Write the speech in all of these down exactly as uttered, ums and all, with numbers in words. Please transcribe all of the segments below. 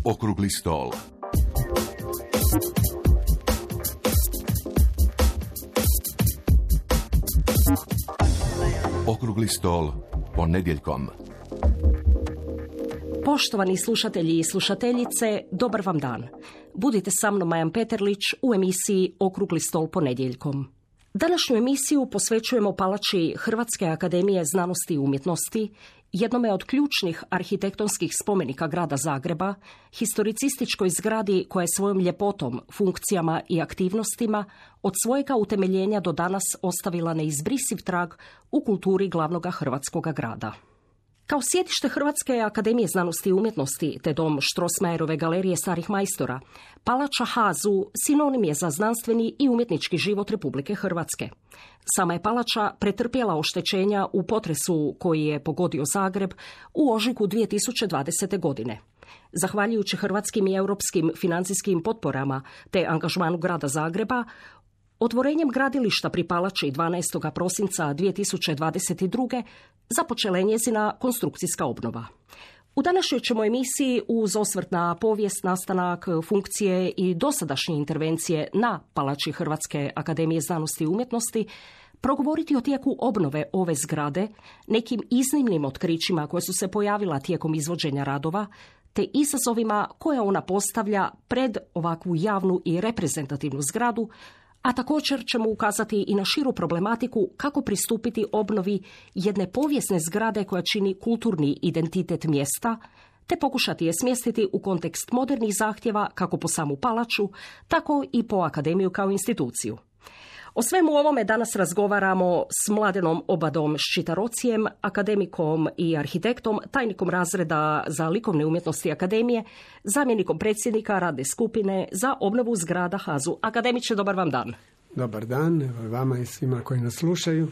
Okrugli stol. Okrugli stol ponedjeljkom. Poštovani slušatelji i slušateljice, dobar vam dan. Budite sa mnom Majan Peterlić u emisiji Okrugli stol ponedjeljkom. Današnju emisiju posvećujemo palači Hrvatske akademije znanosti i umjetnosti, jednome od ključnih arhitektonskih spomenika grada Zagreba, historicističkoj zgradi koja je svojom ljepotom, funkcijama i aktivnostima od svojega utemeljenja do danas ostavila neizbrisiv trag u kulturi glavnoga hrvatskoga grada. Kao sjedište Hrvatske akademije znanosti i umjetnosti te dom Strossmayerove galerije starih majstora, palača Hazu sinonim je za znanstveni i umjetnički život Republike Hrvatske. Sama je palača pretrpjela oštećenja u potresu koji je pogodio Zagreb u ožujku dvije tisuće dvadesete. godine. Zahvaljujući hrvatskim i europskim financijskim potporama te angažmanu grada Zagreba, otvorenjem gradilišta pri palači dvanaestog prosinca dvije tisuće dvadeset druge. započela je njezina konstrukcijska obnova. U današnjoj ćemo emisiji uz osvrt na povijest, nastanak, funkcije i dosadašnje intervencije na palači Hrvatske akademije znanosti i umjetnosti progovoriti o tijeku obnove ove zgrade, nekim iznimnim otkrićima koje su se pojavila tijekom izvođenja radova, te izazovima koje ona postavlja pred ovakvu javnu i reprezentativnu zgradu, a također ćemo ukazati i na širu problematiku kako pristupiti obnovi jedne povijesne zgrade koja čini kulturni identitet mjesta, te pokušati je smjestiti u kontekst modernih zahtjeva kako po samu palaču, tako i po akademiju kao instituciju. O svemu ovome danas razgovaramo s Mladenom Obadom Ščitarocijem, akademikom i arhitektom, tajnikom razreda za likovne umjetnosti akademije, zamjenikom predsjednika radne skupine za obnovu zgrada Hazu. Akademiče, dobar vam dan. Dobar dan, evo vama i svima koji nas slušaju.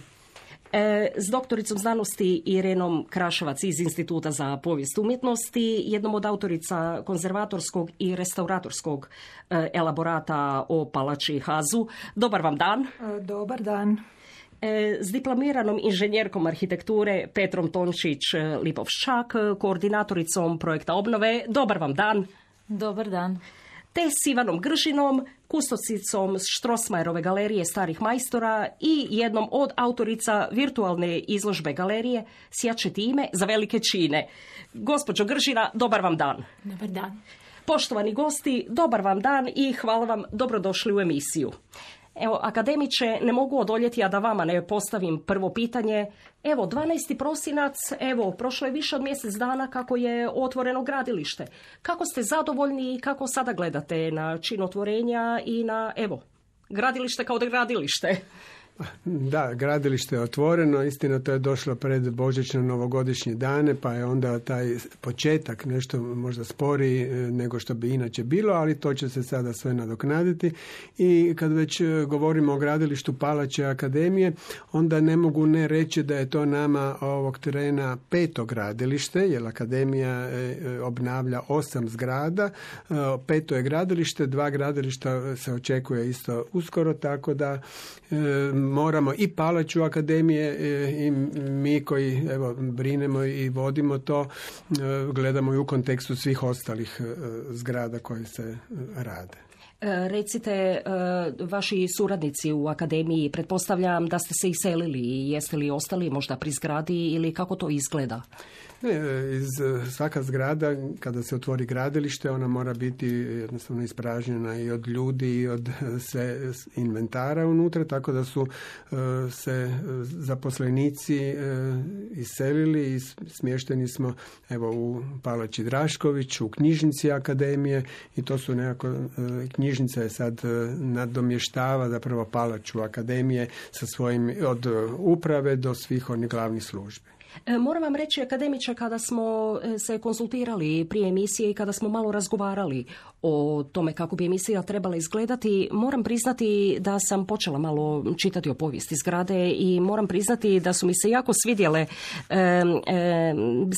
E, s doktoricom znanosti Irenom Kraševac iz Instituta za povijest umjetnosti, jednom od autorica konzervatorskog i restauratorskog e, elaborata o palači Hazu. Dobar vam dan. E, dobar dan. E, s diplomiranom inženjerkom arhitekture Petrom Tončić-Lipovščak, koordinatoricom projekta obnove. Dobar vam dan. Dobar dan. Te s Ivanom Gržinom, kustosicom Strossmayerove galerije starih majstora i jednom od autorica virtualne izložbe galerije Sjačeti ime za velike čine. Gospođo Gržina, dobar vam dan. Dobar dan. Poštovani gosti, dobar vam dan i hvala vam, dobrodošli u emisiju. Evo, akademiče, ne mogu odoljeti, a da vama ne postavim prvo pitanje. Evo, dvanaesti prosinac, evo, prošlo je više od mjesec dana kako je otvoreno gradilište. Kako ste zadovoljni i kako sada gledate na čin otvorenja i na, evo, gradilište kao da gradilište? Da, gradilište je otvoreno, istina to je došlo pred božićno-novogodišnje dane, pa je onda taj početak nešto možda sporiji nego što bi inače bilo, ali to će se sada sve nadoknaditi. I kad već govorimo o gradilištu palače akademije, onda ne mogu ne reći da je to nama ovog trena peto gradilište, jer akademija obnavlja osam zgrada, peto je gradilište, dva gradilišta se očekuje isto uskoro, tako da moramo i palaču akademije i mi koji evo, brinemo i vodimo to, gledamo i u kontekstu svih ostalih zgrada koje se rade. Recite, vaši suradnici u akademiji, pretpostavljam da ste se iselili i jeste li ostali možda pri zgradi ili kako to izgleda? Ne, iz svaka zgrada kada se otvori gradilište ona mora biti jednostavno ispražnjena i od ljudi i od sve inventara unutra, tako da su se zaposlenici iselili i smješteni smo evo u Palači Drašković, u knjižnici akademije i to su nekako, knjižnica je sad nadomještava zapravo palaču akademije sa svojim od uprave do svih onih glavnih službi. Moram vam reći, akademiče, kada smo se konsultirali prije emisije i kada smo malo razgovarali o tome kako bi emisija trebala izgledati, moram priznati da sam počela malo čitati o povijesti zgrade i moram priznati da su mi se jako svidjele, e, e,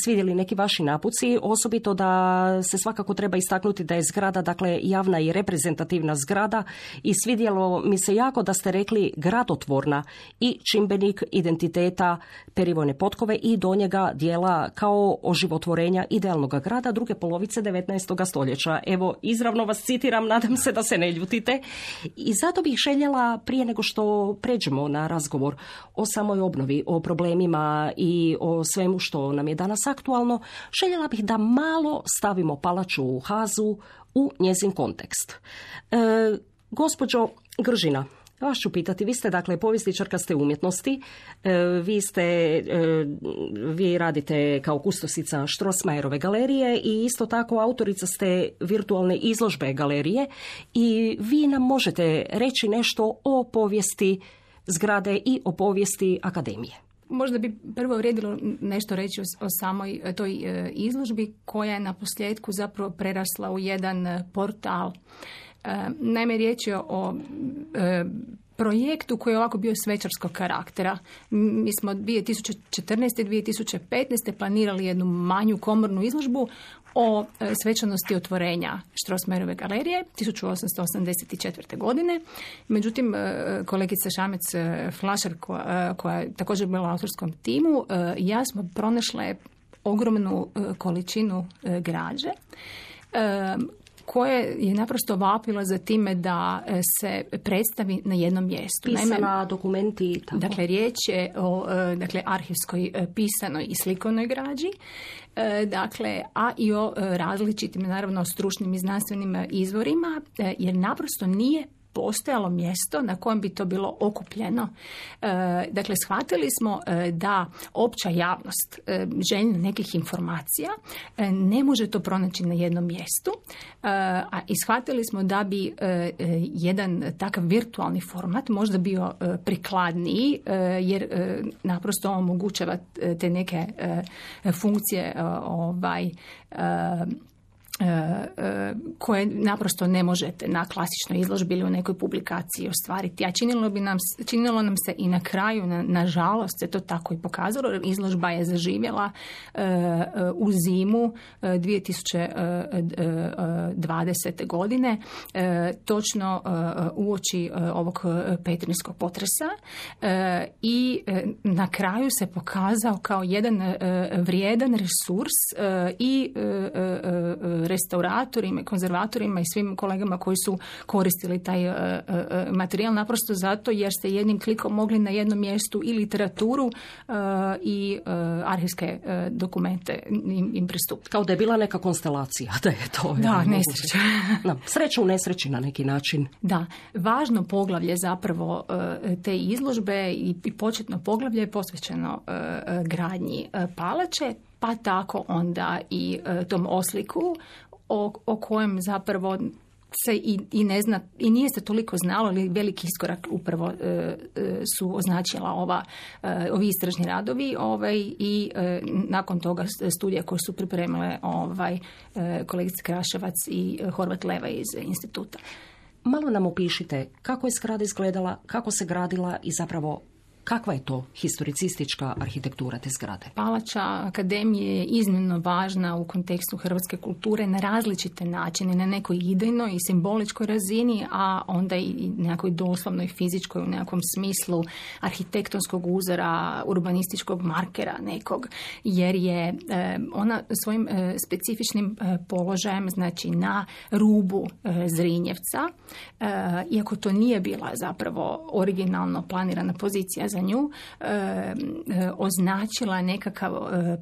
svidjeli neki vaši napuci, osobito da se svakako treba istaknuti da je zgrada, dakle, javna i reprezentativna zgrada i svidjelo mi se jako da ste rekli gradotvorna i čimbenik identiteta perivojne potkove i do njega dijela kao oživotvorenja idealnog grada druge polovice devetnaestog stoljeća. Evo, izravno vas citiram, nadam se da se ne ljutite. I zato bih željela, prije nego što pređemo na razgovor o samoj obnovi, o problemima i o svemu što nam je danas aktualno, željela bih da malo stavimo palaču u Hazu u njezin kontekst. E, gospođo Gržina, vas ću pitati, vi ste dakle povjesničarka ste umjetnosti, e, vi ste, e, vi radite kao kustosica Strossmayerove galerije i isto tako autorica ste virtualne izložbe galerije i vi nam možete reći nešto o povijesti zgrade i o povijesti akademije. Možda bi prvo vrijedilo nešto reći o, o samoj toj e, izložbi koja je na posljedku zapravo prerasla u jedan portal. E, naime, riječ je o e, projektu koji je ovako bio svečarskog karaktera. Mi smo dvije tisuće četrnaeste i dvije tisuće petnaeste planirali jednu manju komornu izložbu o svečanosti otvorenja Strossmayerove galerije tisuću osamsto osamdeset četvrte. godine. Međutim, kolegica Šamec Flašar, koja, koja je također bila u autorskom timu, i ja smo pronašle ogromnu količinu građe koje je naprosto vapilo za time da se predstavi na jednom mjestu. Pisana, Naime, dokumenti. Tako. Dakle, riječ je o dakle, arhivskoj, pisanoj i slikovnoj građi, dakle, a i o različitim, naravno, stručnim i znanstvenim izvorima, jer naprosto nije postojalo mjesto na kojem bi to bilo okupljeno. E, dakle, shvatili smo e, da opća javnost e, željna nekih informacija e, ne može to pronaći na jednom mjestu, e, a i shvatili smo da bi e, e, jedan takav virtualni format možda bio e, prikladniji, e, jer e, naprosto omogućava te neke e, funkcije e, ovaj e, koje naprosto ne možete na klasičnoj izložbi ili u nekoj publikaciji ostvariti. A činilo bi nam, činilo nam se i na kraju, na, nažalost, se to tako i pokazalo. Izložba je zaživjela uh, u zimu uh, dvije tisuće dvadesete. godine, uh, točno uh, uoči uh, ovog petrinjskog potresa, uh, i uh, na kraju se pokazao kao jedan uh, vrijedan resurs uh, i uh, uh, restauratorima, konzervatorima i svim kolegama koji su koristili taj uh, uh, materijal, naprosto zato jer ste jednim klikom mogli na jednom mjestu i literaturu uh, i uh, arhivske uh, dokumente im, im pristupiti. Kao da je bila neka konstelacija, da je to. Da, nesreća. Da, sreća u nesreći na neki način. Da, važno poglavlje zapravo uh, te izložbe i, i početno poglavlje je posvećeno uh, gradnji uh, palače, pa tako onda i e, tom osliku o, o kojem zapravo se i, i ne zna, i nije se toliko znalo, ali veliki iskorak upravo e, e, su označila ova, e, ovi istražni radovi ovaj, i e, nakon toga studija koje su pripremile ovaj, e, kolegica Kraševac i Horvat Leva iz instituta. Malo nam opišite kako je zgrada izgledala, kako se gradila i zapravo kakva je to historicistička arhitektura te zgrade? Palača akademije je iznimno važna u kontekstu hrvatske kulture na različite načine, na nekoj idejnoj i simboličkoj razini, a onda i nekoj doslovnoj fizičkoj u nekakvom smislu arhitektonskog uzora, urbanističkog markera nekog, jer je ona svojim specifičnim položajem, znači na rubu Zrinjevca, iako to nije bila zapravo originalno planirana pozicija za nju, e, e, označila nekakav e,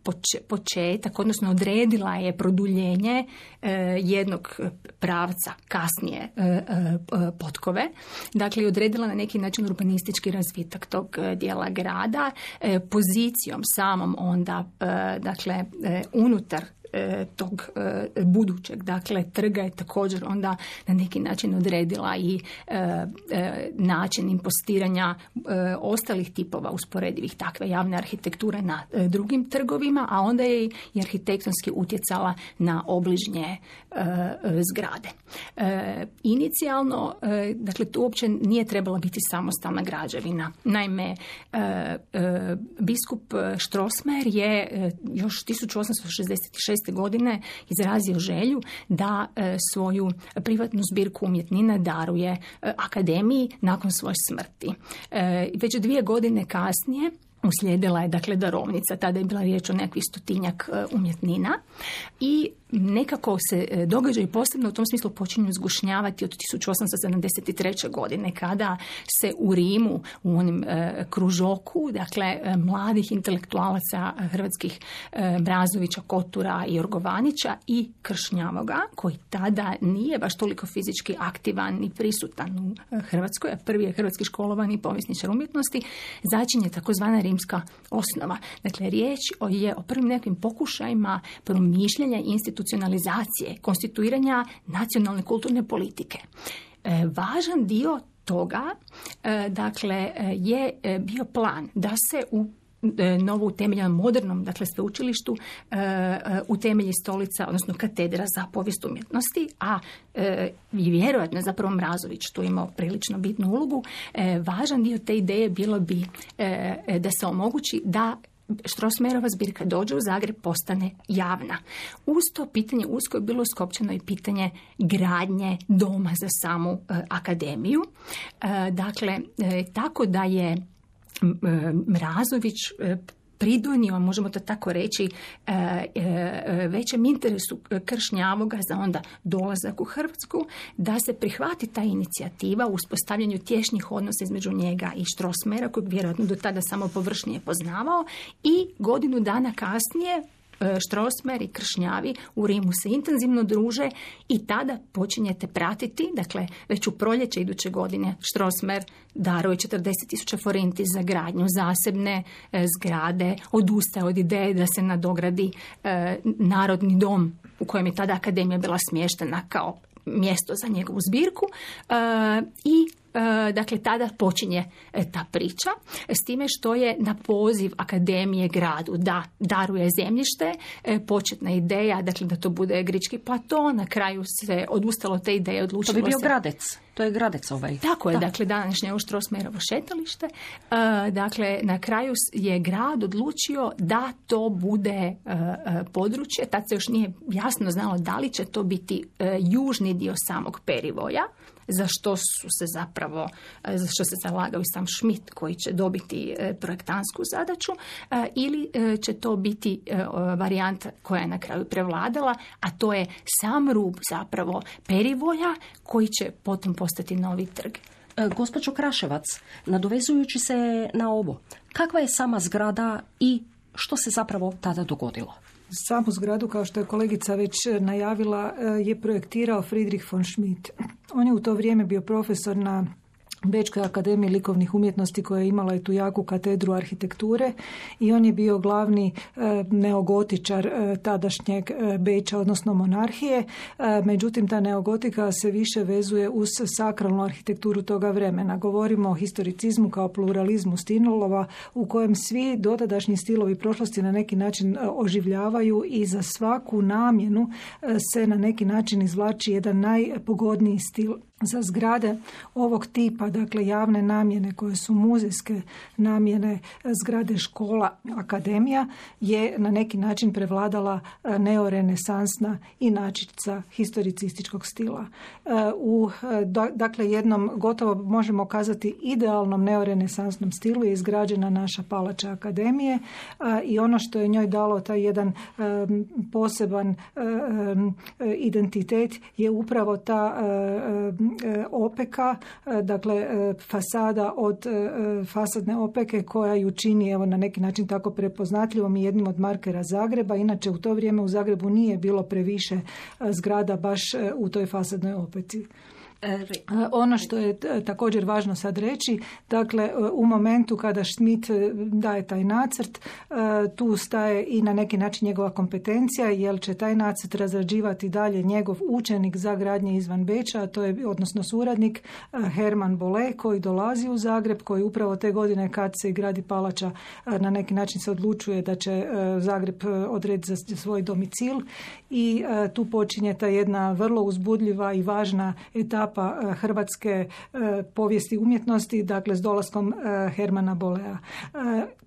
poč, početak, odnosno odredila je produljenje e, jednog pravca kasnije e, e, potkove. Dakle, odredila na neki način urbanistički razvitak tog dijela grada, e, pozicijom samom onda, e, dakle, e, unutar tog budućeg, dakle, trga je također onda na neki način odredila i e, e, način impostiranja e, ostalih tipova usporedivih takve javne arhitekture na e, drugim trgovima, a onda je i arhitektonski utjecala na obližnje e, zgrade. E, inicijalno, e, dakle, to uopće nije trebala biti samostalna građevina. Naime, e, e, biskup Strossmayer je e, još tisuću osamsto šezdeset šeste. godine izrazio želju da e, svoju privatnu zbirku umjetnina daruje e, akademiji nakon svoje smrti. E, već dvije godine kasnije Uslijedila je dakle darovnica, tada je bila riječ o nekakvih stotinjak umjetnina i nekako se događaji posebno u tom smislu počinju zgušnjavati od tisuću osamsto sedamdeset treće. godine kada se u Rimu u onim e, kružoku, dakle e, mladih intelektualaca hrvatskih e, Mrazovića, Kotura i Jorgovanića i Kršnjavoga, koji tada nije baš toliko fizički aktivan ni prisutan u Hrvatskoj, a prvi je hrvatski školovani povjesničar umjetnosti, začinje takozvana rimska osnova. Dakle, riječ je o prvim nekim pokušajima promišljanja institucionalizacije, konstituiranja nacionalne kulturne politike. E, važan dio toga, e, dakle, je bio plan da se u novo utemeljenom modernom, dakle, sveučilištu e, utemelji stolica, odnosno katedra za povijest umjetnosti, a e, i vjerojatno zapravo Mrazović tu imao prilično bitnu ulogu. E, važan dio te ideje bilo bi e, da se omogući da Strossmayerova zbirka dođe u Zagreb, postane javna. Uz to pitanje usko je bilo skopčano i pitanje gradnje doma za samu e, akademiju. E, dakle, e, tako da je Mrazović pridonio, možemo to tako reći, većem interesu Kršnjavoga za onda dolazak u Hrvatsku, da se prihvati ta inicijativa u uspostavljanju tješnjih odnosa između njega i Strossmayera, kojeg vjerojatno do tada samo površnije poznavao, i godinu dana kasnije Strossmayer i Kršnjavi u Rimu se intenzivno druže i tada počinjete pratiti, dakle već u proljeće iduće godine Strossmayer daruje četrdeset tisuća forinti za gradnju zasebne e, zgrade, odustaje od ideje da se nadogradi e, Narodni dom u kojem je tada akademija bila smještena kao mjesto za njegovu zbirku e, i dakle, tada počinje ta priča, s time što je na poziv akademije gradu da daruje zemljište, početna ideja, dakle, da to bude grički plato, na kraju se odustalo od te ideje, odlučilo se... To bi bio se... Gradec, to je Gradec ovaj. Tako je, da. Dakle, današnje ovo Strossmayerovo šetalište. Dakle, na kraju je grad odlučio da to bude područje, tad se još nije jasno znalo da li će to biti južni dio samog perivoja, za što su se zapravo, za što se zalagao i sam Schmidt koji će dobiti projektansku zadaću, ili će to biti varijanta koja je na kraju prevladala, a to je sam rub zapravo perivoja koji će potom postati novi trg. Gospođo Kraševac, nadovezujući se na ovo, kakva je sama zgrada i što se zapravo tada dogodilo? Samu zgradu, kao što je kolegica već najavila, je projektirao Friedrich von Schmidt. On je u to vrijeme bio profesor na Bečkoj akademiji likovnih umjetnosti koja je imala i tu jaku katedru arhitekture i on je bio glavni e, neogotičar e, tadašnjeg e, Beča, odnosno monarhije. E, međutim, ta neogotika se više vezuje uz sakralnu arhitekturu toga vremena. Govorimo o historicizmu kao pluralizmu stilova u kojem svi dotadašnji stilovi prošlosti na neki način oživljavaju i za svaku namjenu se na neki način izvlači jedan najpogodniji stil. Za zgrade ovog tipa, dakle javne namjene koje su muzejske namjene, zgrade škola, akademija, je na neki način prevladala neorenesansna inačica historicističkog stila. U dakle jednom gotovo možemo kazati idealnom neorenesansnom stilu je izgrađena naša palača akademije i ono što je njoj dalo taj jedan poseban identitet je upravo ta opeka, dakle fasada od fasadne opeke koja ju čini evo na neki način tako prepoznatljivom i jednim od markera Zagreba. Inače u to vrijeme u Zagrebu nije bilo previše zgrada baš u toj fasadnoj opeci. Ono što je također važno sad reći, dakle u momentu kada Schmidt daje taj nacrt, tu staje i na neki način njegova kompetencija, jer će taj nacrt razrađivati dalje njegov učenik za gradnje izvan Beča, a to je odnosno suradnik Herman Bolle koji dolazi u Zagreb, koji upravo te godine kad se gradi palača na neki način se odlučuje da će Zagreb odrediti za svoj domicil i tu počinje ta jedna vrlo uzbudljiva i važna etapa hrvatske povijesti umjetnosti, dakle s dolaskom Hermana Bollea.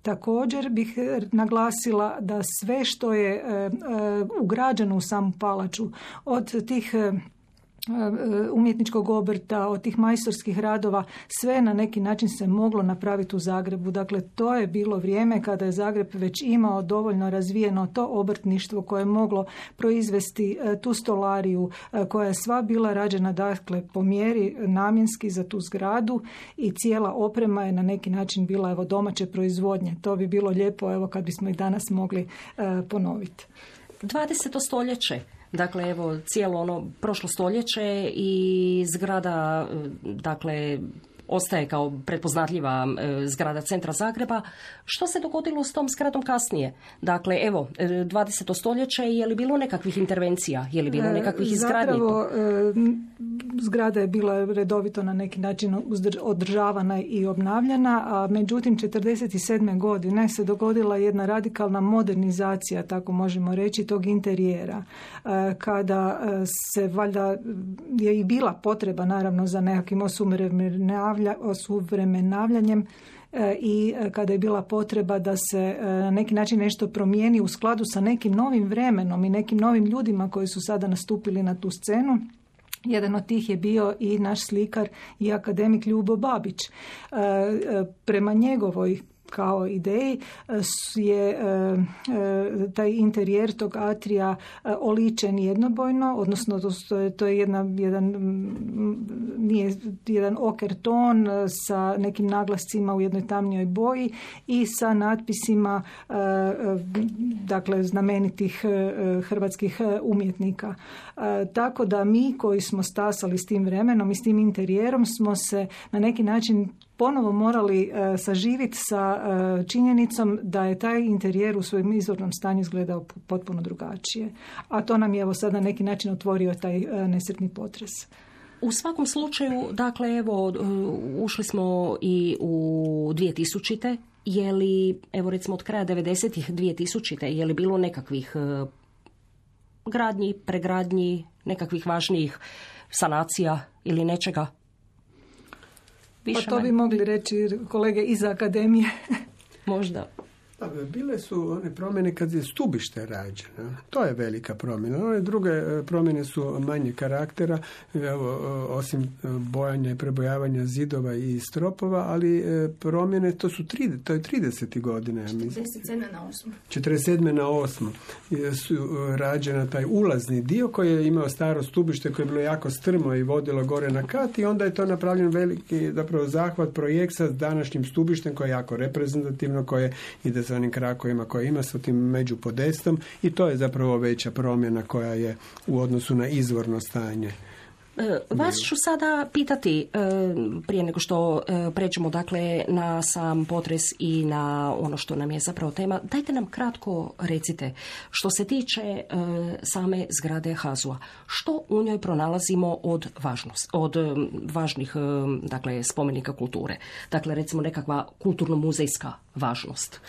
Također bih naglasila da sve što je ugrađeno u samu palaču, od tih umjetničkog obrta, od tih majstorskih radova, sve na neki način se moglo napraviti u Zagrebu. Dakle, to je bilo vrijeme kada je Zagreb već imao dovoljno razvijeno to obrtništvo koje je moglo proizvesti tu stolariju koja je sva bila rađena, dakle, po mjeri namjenski za tu zgradu i cijela oprema je na neki način bila, evo, domaće proizvodnje. To bi bilo lijepo, evo, kad bismo i danas mogli uh, ponoviti. dvadeseto stoljeće. Dakle, evo, cijelo ono prošlo stoljeće i zgrada, dakle, ostaje kao prepoznatljiva e, zgrada centra Zagreba. Što se dogodilo s tom zgradom kasnije? Dakle, evo, dvadeseto stoljeće, je li bilo nekakvih intervencija? Je li bilo nekakvih izgradnji? Zapravo, e, zgrada je bila redovito na neki način održavana i obnavljana, a međutim, četrdeset sedme godine se dogodila jedna radikalna modernizacija, tako možemo reći, tog interijera. E, kada se, valjda, je i bila potreba, naravno, za nekakvim osuvremenavljanjem osuvremenavljanjem i kada je bila potreba da se na neki način nešto promijeni u skladu sa nekim novim vremenom i nekim novim ljudima koji su sada nastupili na tu scenu. Jedan od tih je bio i naš slikar i akademik Ljubo Babić. Prema njegovoj kao ideji je taj interijer tog atrija oličen jednobojno, odnosno to je jedna, jedan, nije, jedan oker ton sa nekim naglascima u jednoj tamnijoj boji i sa natpisima, dakle, znamenitih hrvatskih umjetnika. Tako da mi koji smo stasali s tim vremenom i s tim interijerom smo se na neki način ponovo morali uh, saživiti sa uh, činjenicom da je taj interijer u svojem izvornom stanju izgledao potpuno drugačije. A to nam je, evo, sad na neki način otvorio taj uh, nesretni potres. U svakom slučaju, dakle, evo, ušli smo i u dvije tisućite. Je li, evo, recimo od kraja devedesetih dvije tisućite, je li bilo nekakvih uh, gradnji, pregradnji, nekakvih važnijih sanacija ili nečega? Pa to bi mogli reći kolege iz akademije. Možda. Bile su one promjene kad je stubište rađeno. To je velika promjena. One druge promjene su manje karaktera, evo, osim bojanja i prebojavanja zidova i stropova, ali promjene, to su tri, to je trideset godine. četrdeset sedme na osmu. četrdeset sedme na osmu su rađena taj ulazni dio koji je imao staro stubište koje je bilo jako strmo i vodilo gore na kat i onda je to napravljen veliki, zapravo, zahvat, projekt sa današnjim stubištem koje je jako reprezentativno, koje ide sa onim krakovima koje ima, sa tim međupodestom, i to je zapravo veća promjena koja je u odnosu na izvorno stanje. Vas ću sada pitati, prije nego što pređemo, dakle, na sam potres i na ono što nam je zapravo tema, dajte nam kratko recite, što se tiče same zgrade H A Z U-a, što u njoj pronalazimo od, važnost, od važnih, dakle, spomenika kulture? Dakle, recimo nekakva kulturno-muzejska važnost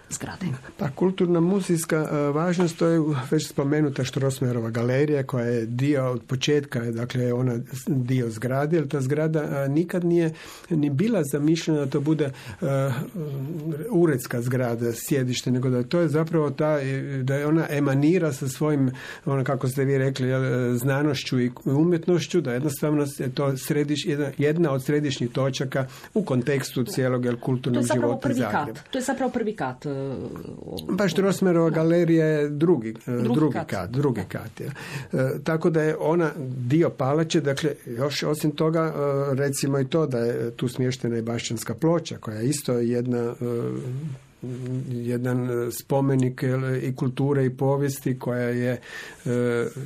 zgrade. Pa kulturna muzejska važnost, to je već spomenuta Strossmayerova galerija koja je dio od početka, dakle ona dio zgrade, jer ta zgrada nikad nije ni bila zamišljena da to bude uh, uredska zgrada, sjedište, nego da to je zapravo ta, da je ona emanira sa svojim, ono kako ste vi rekli, znanošću i umjetnošću, da jednostavno je to središ, jedna, jedna od središnjih točaka u kontekstu cijelog kulturnog života Zagreba. To je zapravo prvi kat. Pa Strossmayerova galerija je drugi, drugi, drugi kat. kat, drugi kat je. E, tako da je ona dio palače, dakle, još osim toga, e, recimo i to da je tu smještena i Bašćanska ploča, koja je isto jedna e, jedan spomenik i kulture i povijesti koja je e,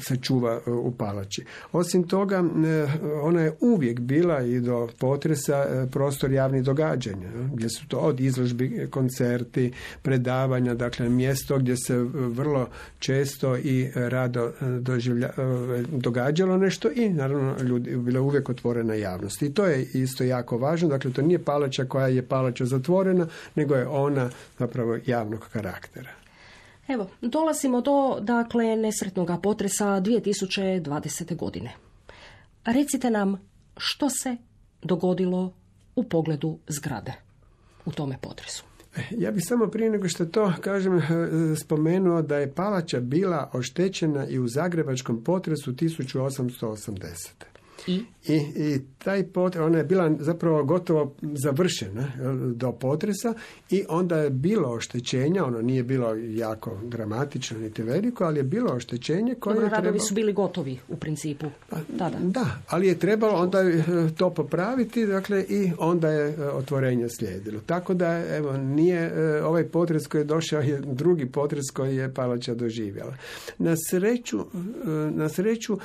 se čuva u palači. Osim toga, e, ona je uvijek bila i do potresa e, prostor javnih događanja, gdje su to od izložbi, koncerti, predavanja, dakle mjesto gdje se vrlo često i rado doživlja, e, događalo nešto i naravno ljudi bila uvijek otvorena javnosti. I to je isto jako važno, dakle to nije palača koja je palača zatvorena, nego je ona zapravo javnog karaktera. Evo, dolazimo do, dakle, nesretnog potresa dvije tisuće dvadesete. godine. Recite nam što se dogodilo u pogledu zgrade u tome potresu. Ja bih samo prije nego što to kažem spomenuo da je palača bila oštećena i u zagrebačkom potresu tisuću osamsto osamdesete. I? I, i taj potres, ona je bila zapravo gotovo završena do potresa i onda je bilo oštećenja, ono nije bilo jako dramatično niti veliko, ali je bilo oštećenje koje Dobro, je trebalo... radovi su bili gotovi u principu tada. Da, ali je trebalo onda to popraviti, dakle i onda je otvorenje slijedilo. Tako da, evo, nije ovaj potres koji je došao je drugi potres koji je palača doživjela. Na sreću, na sreću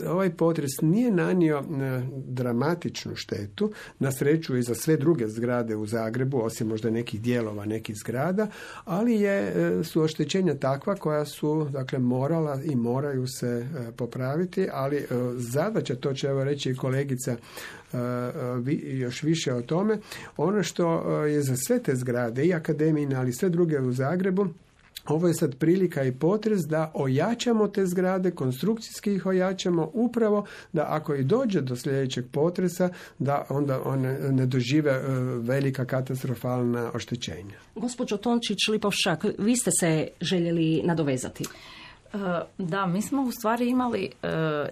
ovaj potres nije nanio dramatičnu štetu, na sreću i za sve druge zgrade u Zagrebu, osim možda nekih dijelova nekih zgrada, ali je, su oštećenja takva koja su, dakle, morala i moraju se popraviti, ali zadaća, to će evo reći i kolegica još više o tome, ono što je za sve te zgrade, i akademijine, ali sve druge u Zagrebu, ovo je sad prilika i potres da ojačamo te zgrade, konstrukcijski ih ojačamo, upravo da ako i dođe do sljedećeg potresa, da onda one ne dožive velika katastrofalna oštećenja. Gospođo Tončić-Lipovšak, vi ste se željeli nadovezati. Da, mi smo u stvari imali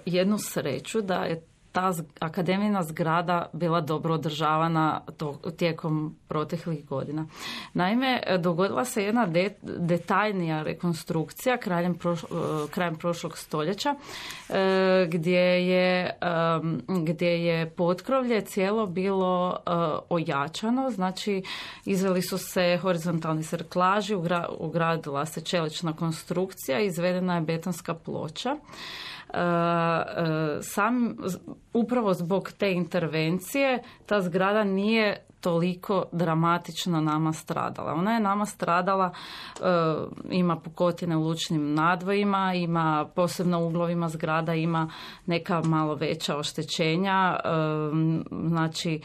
jednu sreću da je ta akademijna zgrada bila dobro održavana to, tijekom proteklih godina. Naime, dogodila se jedna de, detaljnija rekonstrukcija krajem, proš, krajem prošlog stoljeća gdje je, gdje je potkrovlje cijelo bilo ojačano, znači izveli su se horizontalni serklaži, ugradila se čelična konstrukcija, izvedena je betonska ploča. Sam, upravo zbog te intervencije ta zgrada nije toliko dramatično nama stradala. Ona je nama stradala, ima pukotine u lučnim nadvojima, ima posebno u uglovima zgrada, ima neka malo veća oštećenja, znači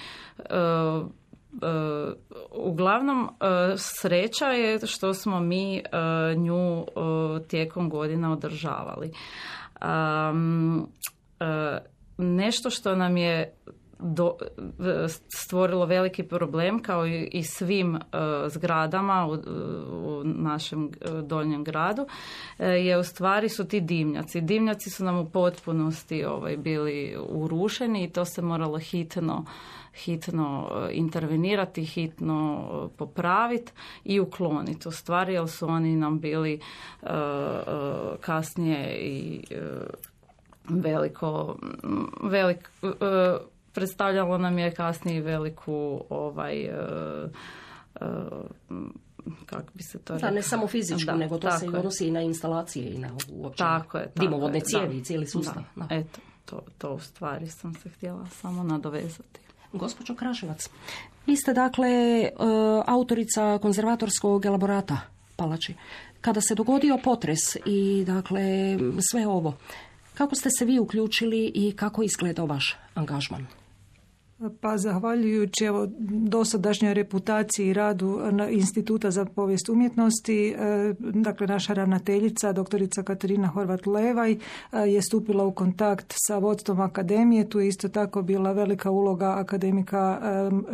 uglavnom sreća je što smo mi nju tijekom godina održavali. Um, uh, nešto što nam je do, stvorilo veliki problem kao i, i svim uh, zgradama u, u našem uh, donjem gradu uh, je u stvari su ti dimnjaci. Dimnjaci su nam u potpunosti ovaj, bili urušeni i to se moralo hitno hitno intervenirati, hitno popraviti i ukloniti u stvari, jer su oni nam bili uh, uh, kasnije i uh, veliko velik, uh, predstavljalo nam je kasnije veliku ovaj uh, uh, kako bi se to rekao? Da, ne samo fizičku, da, nego to se i odnosi i na instalacije i na uopće tako je, tako dimovodne je, cijevi i cijeli sustav. Da, da. Eto, to, to u stvari sam se htjela samo nadovezati. Gospođo Kraševac, vi ste dakle autorica konzervatorskog elaborata palači. Kada se dogodio potres i dakle sve ovo, kako ste se vi uključili i kako izgledao vaš angažman? Pa zahvaljujući evo dosadašnjoj reputaciji i radu Instituta za povijest umjetnosti, dakle naša ravnateljica, doktorica Katarina Horvat-Levaj, je stupila u kontakt sa vodstvom akademije. Tu je isto tako bila velika uloga akademika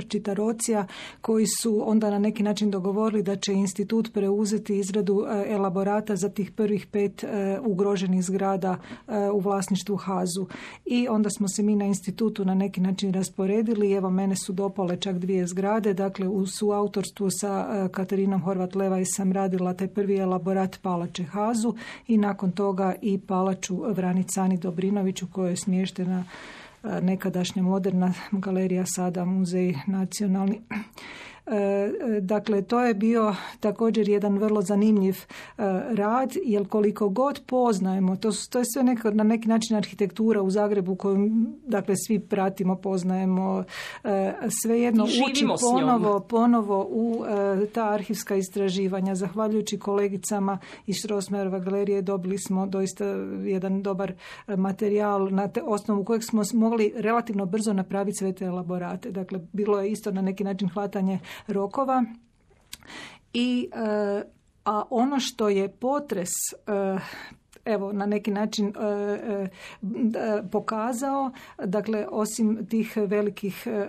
Čitarocija, koji su onda na neki način dogovorili da će institut preuzeti izradu elaborata za tih prvih pet ugroženih zgrada u vlasništvu Hazu. I onda smo se mi na institutu na neki način rasporedili. Evo, mene su dopale čak dvije zgrade, dakle u suautorstvu sa Katarinom Horvat-Levaj sam radila taj prvi elaborat palače Hazu i nakon toga i palaču Vranicani Dobrinović u kojoj je smještena nekadašnja moderna galerija, sada muzej nacionalni. Dakle, to je bio također jedan vrlo zanimljiv rad, jer koliko god poznajemo, to, to je sve neko, na neki način arhitektura u Zagrebu koju dakle, svi pratimo, poznajemo, svejedno uči ponovo, ponovo u ta arhivska istraživanja. Zahvaljujući kolegicama iz Strossmayerova galerije dobili smo doista jedan dobar materijal na te osnovu kojeg smo mogli relativno brzo napraviti sve te elaborate. Dakle, bilo je isto na neki način hvatanje rokova i a ono što je potres evo na neki način e, e, pokazao, dakle osim tih velikih e,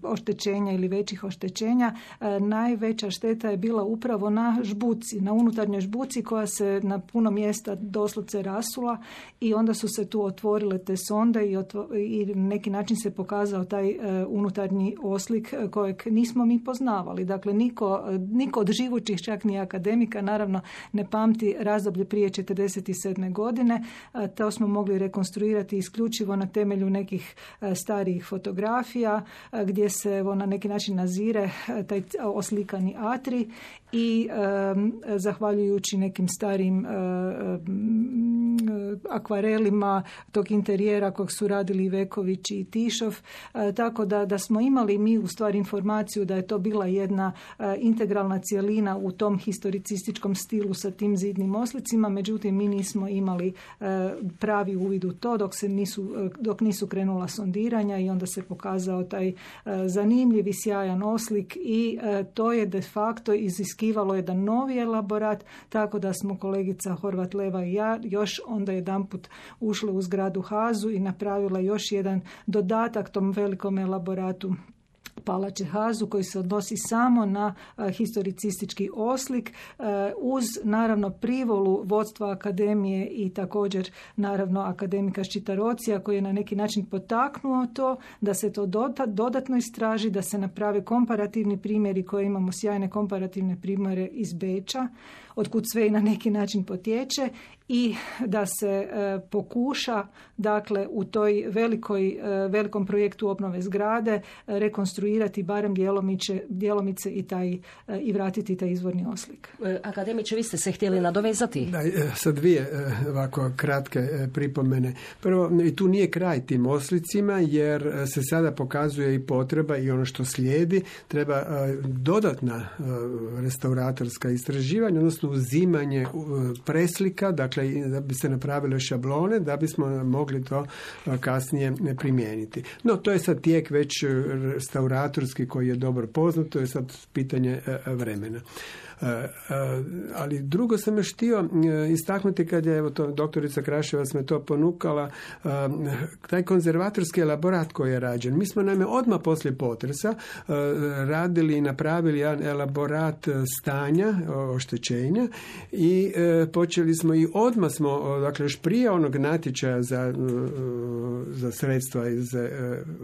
oštećenja ili većih oštećenja, e, najveća šteta je bila upravo na žbuci, na unutarnjoj žbuci koja se na puno mjesta doslovce rasula i onda su se tu otvorile te sonde i, otvo, i na neki način se pokazao taj e, unutarnji oslik kojeg nismo mi poznavali. Dakle, niko, niko od živućih, čak ni akademika, naravno ne pamti razdoblje prije četrdeset sedme godine. To smo mogli rekonstruirati isključivo na temelju nekih starijih fotografija gdje se evo, na neki način nazire taj oslikani atrij i um, zahvaljujući nekim starim um, akvarelima tog interijera kojeg su radili Veković i Tišov, uh, tako da, da smo imali mi u stvari informaciju da je to bila jedna uh, integralna cjelina u tom historicističkom stilu sa tim zidnim oslicima, međutim mi nismo imali uh, pravi uvid u to dok se nisu, uh, dok nisu krenula sondiranja i onda se pokazao taj uh, zanimljiv i sjajan oslik i uh, to je de facto iziskivalo jedan novi elaborat, tako da smo kolegica Horvat Leva i ja još onda jedanput ušli u zgradu Hazu i napravila još jedan dodatak tom velikom elaboratu Palače Hazu koji se odnosi samo na uh, historicistički oslik uh, uz naravno privolu vodstva akademije i također naravno akademika Ščitarocija koji je na neki način potaknuo to da se to dodatno istraži, da se naprave komparativni primjeri koje imamo sjajne komparativne primjere iz Beča, otkud sve i na neki način potječe i da se e, pokuša dakle u toj velikoj, e, velikom projektu obnove zgrade e, rekonstruirati barem djelomice, djelomice i, taj, e, i vratiti taj izvorni oslik. Akademiče, vi ste se htjeli nadovezati? Da, sa dvije ovako kratke pripomene. Prvo, i tu nije kraj tim oslicima jer se sada pokazuje i potreba i ono što slijedi, treba dodatna restauratorska istraživanja, odnosno uzimanje preslika, dakle da bi se napravile šablone, da bismo mogli to kasnije primijeniti. No, to je sad tijek već restauratorski koji je dobro poznat, to je sad pitanje vremena. Ali drugo sam još htio istaknuti kad je evo to, doktorica Kraševac me to ponukala, taj konzervatorski elaborat koji je rađen. Mi smo naime odmah poslije potresa radili i napravili jedan elaborat stanja, oštećenja i počeli smo i odmah smo, dakle još prije onog natječaja za, za sredstva iz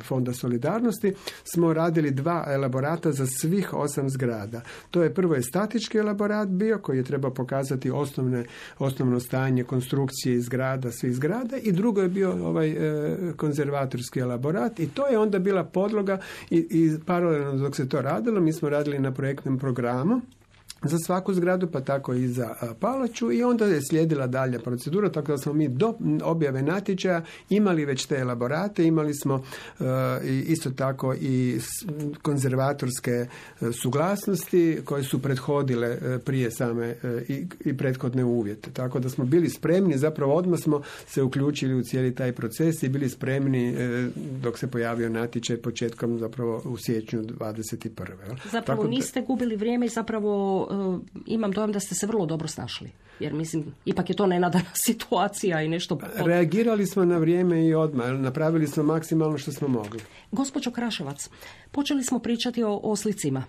Fonda solidarnosti smo radili dva elaborata za svih osam zgrada. To je prvo je statički elaborat bio koji je trebao pokazati osnovne, osnovno stanje konstrukcije zgrada, svih zgrada i drugo je bio ovaj e, konzervatorski elaborat i to je onda bila podloga i, i paralelno dok se to radilo mi smo radili na projektnom programu za svaku zgradu, pa tako i za palaču i onda je slijedila dalja procedura, tako da smo mi do objave natječaja imali već te elaborate, imali smo uh, isto tako i konzervatorske uh, suglasnosti koje su prethodile uh, prije same uh, i, i prethodne uvjete. Tako da smo bili spremni, zapravo odmah smo se uključili u cijeli taj proces i bili spremni uh, dok se pojavio natječaj početkom zapravo u siječnju dvadeset prve. Zapravo tako niste gubili vrijeme i zapravo imam dojam da ste se vrlo dobro snašli. Jer mislim, ipak je to nenadana situacija i nešto... Reagirali smo na vrijeme i odmah. Napravili smo maksimalno što smo mogli. Gospođo Kraševac, počeli smo pričati o oslicima.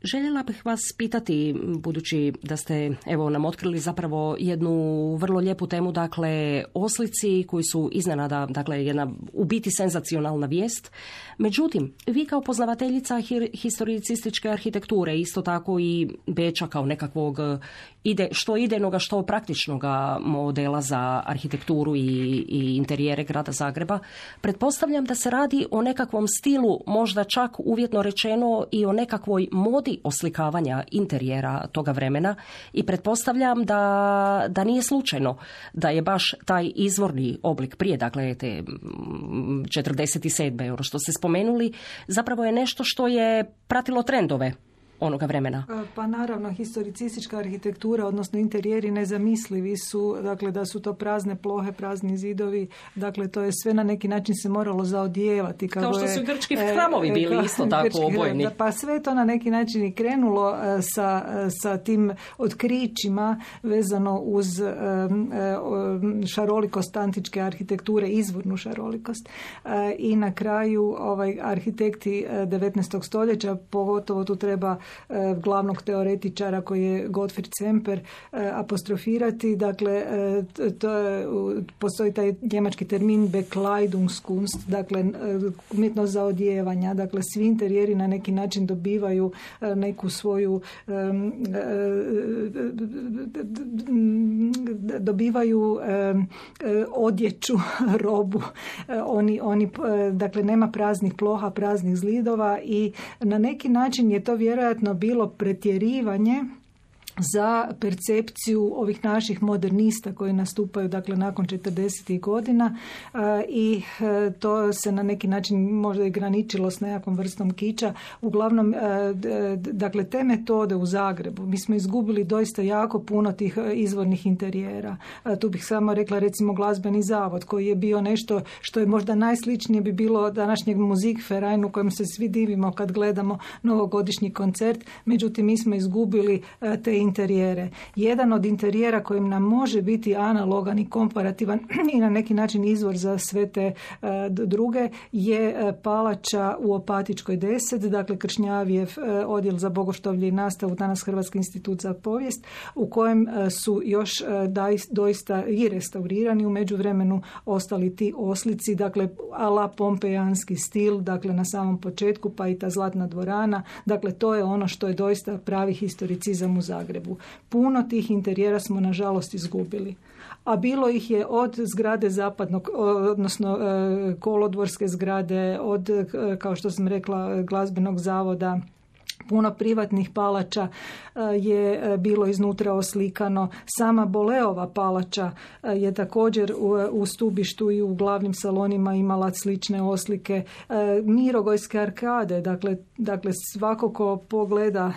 Željela bih vas pitati, budući da ste evo nam otkrili zapravo jednu vrlo lijepu temu, dakle oslici koji su iznenada, dakle jedna u biti senzacionalna vijest. Međutim, vi kao poznavateljica historicističke arhitekture, isto tako i Beča kao nekakvog ide, što idejnoga, što praktičnoga modela za arhitekturu i, i interijere grada Zagreba, pretpostavljam da se radi o nekakvom stilu, možda čak uvjetno rečeno i o nekakvoj modi oslikavanja interijera toga vremena i pretpostavljam da, da nije slučajno da je baš taj izvorni oblik prije, dakle te četrdeset sedme ono što ste spomenuli, zapravo je nešto što je pratilo trendove onoga vremena? Pa naravno, historicistička arhitektura, odnosno interijeri nezamislivi su, dakle da su to prazne plohe, prazni zidovi, dakle to je sve na neki način se moralo zaodijevati. Kao što su grčki hramovi bili e, isto tako grčki, obojni. Pa sve to na neki način i krenulo sa, sa tim otkrićima vezano uz šarolikost antičke arhitekture, izvornu šarolikost. I na kraju ovaj, arhitekti devetnaestog stoljeća, pogotovo tu treba glavnog teoretičara koji je Gottfried Semper apostrofirati. Dakle, to je, postoji taj njemački termin Bekleidungskunst, dakle umjetnost zaodijevanja. Dakle, svi interijeri na neki način dobivaju neku svoju dobivaju odjeću, robu. Oni, oni, dakle, nema praznih ploha, praznih zidova i na neki način je to vjerojatno bilo pretjerivanje za percepciju ovih naših modernista koji nastupaju dakle nakon četrdesetih godina i to se na neki način možda i graničilo s nekakvom vrstom kiča. Uglavnom, dakle, te metode u Zagrebu, mi smo izgubili doista jako puno tih izvornih interijera. Tu bih samo rekla recimo glazbeni zavod koji je bio nešto što je možda najsličnije bi bilo današnjeg Musikverein u kojem se svi divimo kad gledamo novogodišnji koncert, međutim mi smo izgubili te interijere. Jedan od interijera kojim nam može biti analogan i komparativan i na neki način izvor za sve te uh, druge je uh, palača u Opatičkoj deset, dakle Kršnjavijev uh, odjel za bogoštovlje i nastavu, danas Hrvatski institut za povijest, u kojem uh, su još uh, daj, doista i restaurirani u međuvremenu ostali ti oslici, dakle ala pompejanski stil, dakle na samom početku, pa i ta zlatna dvorana, dakle to je ono što je doista pravi historicizam u Zagrebu. Puno tih interijera smo nažalost izgubili. A bilo ih je od zgrade zapadnog, odnosno kolodvorske zgrade, od, kao što sam rekla, glazbenog zavoda, puno privatnih palača je bilo iznutra oslikano. Sama Boleova palača je također u, u stubištu i u glavnim salonima imala slične oslike. Mirogojske arkade, dakle, dakle svako ko pogleda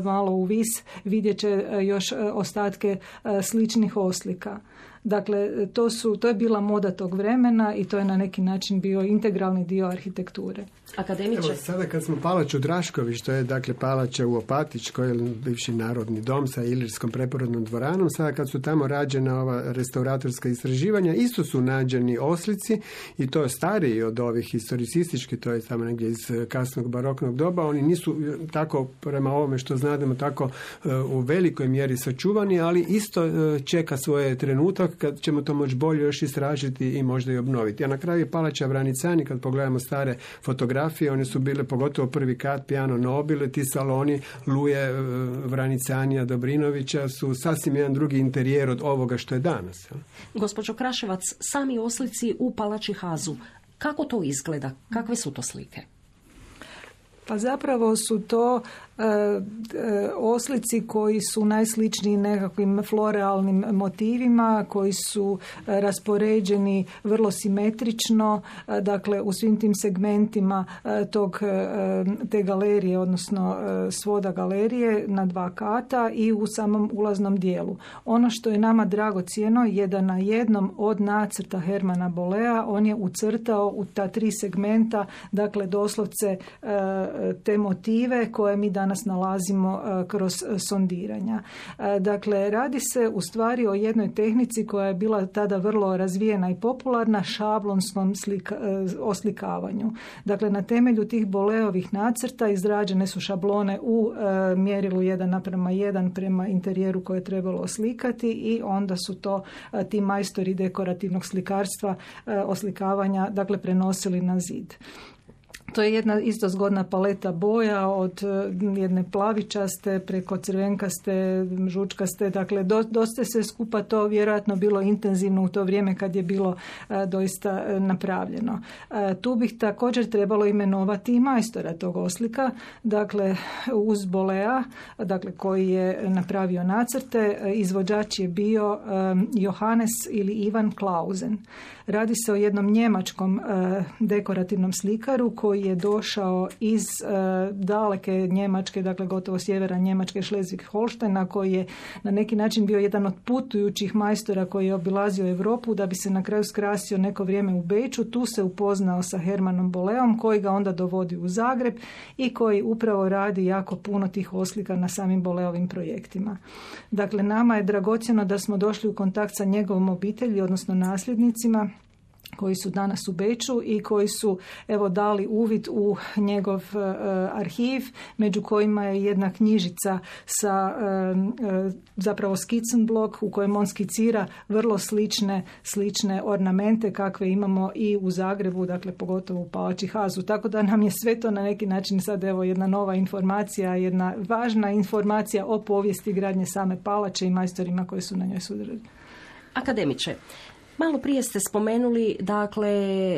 malo u vis vidjet će još ostatke sličnih oslika. Dakle, to, su, to je bila moda tog vremena i to je na neki način bio integralni dio arhitekture. Akademiče. Evo, sada kad smo palač u Draškovi, što je dakle palača u Opatičkoj, bivši narodni dom sa Ilirskom preporodnom dvoranom, sada kad su tamo rađena ova restauratorska istraživanja, isto su nađeni oslici i to je stariji od ovih historicističkih, to je tamo negdje iz kasnog baroknog doba. Oni nisu tako, prema ovome što znademo, tako u velikoj mjeri sačuvani, ali isto čeka svoje trenutak kad ćemo to moći bolje još istražiti i možda i obnoviti. A na kraju je palača Vranicani, kad pogledamo stare fotografije, one su bile pogotovo prvi kat, Piano Nobile, ti saloni Luje Vranicanija Dobrinovića su sasvim jedan drugi interijer od ovoga što je danas. Gospođo Kraševac, sami oslici u palači Hazu, kako to izgleda? Kakve su to slike? Pa zapravo su to e, e, oslici koji su najsličniji nekakvim florealnim motivima, koji su e, raspoređeni vrlo simetrično, e, dakle u svim tim segmentima e, tog, e, te galerije, odnosno e, svoda galerije na dva kata i u samom ulaznom dijelu. Ono što je nama dragocjeno je da na jednom od nacrta Hermana Bolea on je ucrtao u ta tri segmenta, dakle doslovce e, te motive koje mi danas nalazimo kroz sondiranja. Dakle, radi se u stvari o jednoj tehnici koja je bila tada vrlo razvijena i popularna, šablonskom slika, oslikavanju. Dakle, na temelju tih Boleovih nacrta izrađene su šablone u mjerilu jedan naprema jedan prema interijeru koje je trebalo oslikati i onda su to ti majstori dekorativnog slikarstva, oslikavanja, dakle, prenosili na zid. To je jedna isto zgodna paleta boja od jedne plavičaste preko crvenkaste, žučkaste, dakle do, dosta se skupa to vjerojatno bilo intenzivno u to vrijeme kad je bilo a, doista a, napravljeno. A, tu bih također trebalo imenovati i majstora tog oslika, dakle uz Bolea, dakle koji je napravio nacrte, izvođač je bio a, Johannes ili Ivan Clausen. Radi se o jednom njemačkom a, dekorativnom slikaru koji koji je došao iz e, daleke Njemačke, dakle gotovo sjevera Njemačke, Schleswig-Holsteina, koji je na neki način bio jedan od putujućih majstora koji je obilazio Europu da bi se na kraju skrasio neko vrijeme u Beču. Tu se upoznao sa Hermanom Boleom koji ga onda dovodi u Zagreb i koji upravo radi jako puno tih oslika na samim Boleovim projektima. Dakle, nama je dragocjeno da smo došli u kontakt sa njegovom obitelji, odnosno nasljednicima, koji su danas u Beču i koji su evo dali uvid u njegov uh, arhiv, među kojima je jedna knjižica sa uh, uh, zapravo skicen-blok u kojem on skicira vrlo slične, slične ornamente kakve imamo i u Zagrebu, dakle pogotovo u Palači Hazu. Tako da nam je sve to na neki način sad evo jedna nova informacija, jedna važna informacija o povijesti gradnje same palače i majstorima koji su na njoj sudjelovali. Akademiče, malo prije ste spomenuli dakle,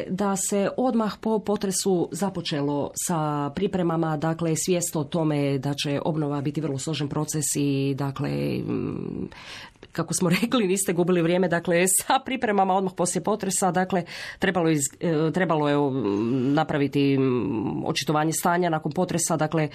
da se odmah po potresu započelo sa pripremama, dakle svijest o tome da će obnova biti vrlo složen proces i dakle, kako smo rekli, niste gubili vrijeme, dakle sa pripremama odmah poslije potresa, dakle trebalo, iz, trebalo je napraviti očitovanje stanja nakon potresa, dakle